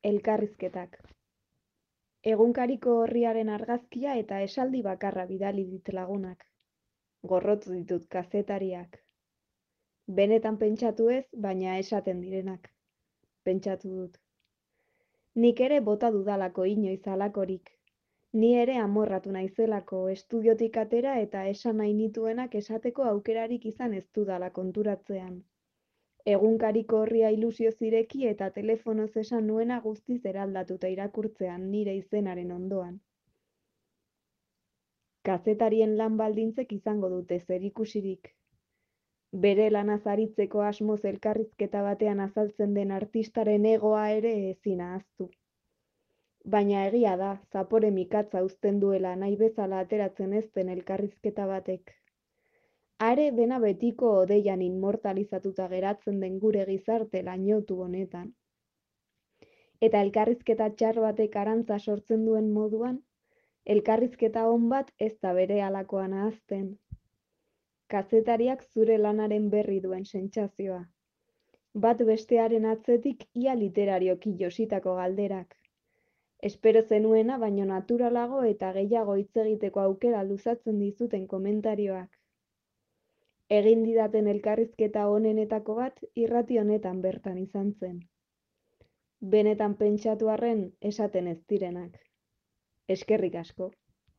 Elkarrizketak. Egunkariko orriaren argazkia eta esaldi bakarra bidali dit lagunak. Gorrotu ditut kazetariak. Benetan pentsatu ez, baina esaten direnak. Pentsatu dut. Nik ere bota dudalako inoiz halakorik. Ni ere amorratu naizelako estudiotik atera eta esan nahi nituenak esateko aukerarik izan ez dudala konturatzean. Egunkariko orria ilusioz ireki eta telefonoz esan nuena guztiz eraldatuta irakurtzean nire izenaren ondoan. Kazetarien lan baldintzek izango dute zerikusirik. Bere lanaz aritzeko asmoz elkarrizketa batean azaltzen den artistaren egoa ere ezin ahaztu. Baina egia da, zapore mikatza uzten duela nahi bezala ateratzen ez den elkarrizketa batek. Are dena betiko odeian inmortalizatuta geratzen den gure gizarte lainotu honetan. Eta elkarrizketa txar batek arantza sortzen duen moduan, elkarrizketa on bat ez da berehalakoan ahazten. Kazetariak zure lanaren berri duen sentsazioa. Bat bestearen atzetik ia literarioki jositako galderak. Espero zenuena baino naturalago eta gehiago hitz egiteko aukera luzatzen dizuten komentarioak. Egin didaten elkarrizketa onenetako bat irrati honetan bertan izan zen. Benetan pentsatu arren esaten ez direnak. Eskerrik asko.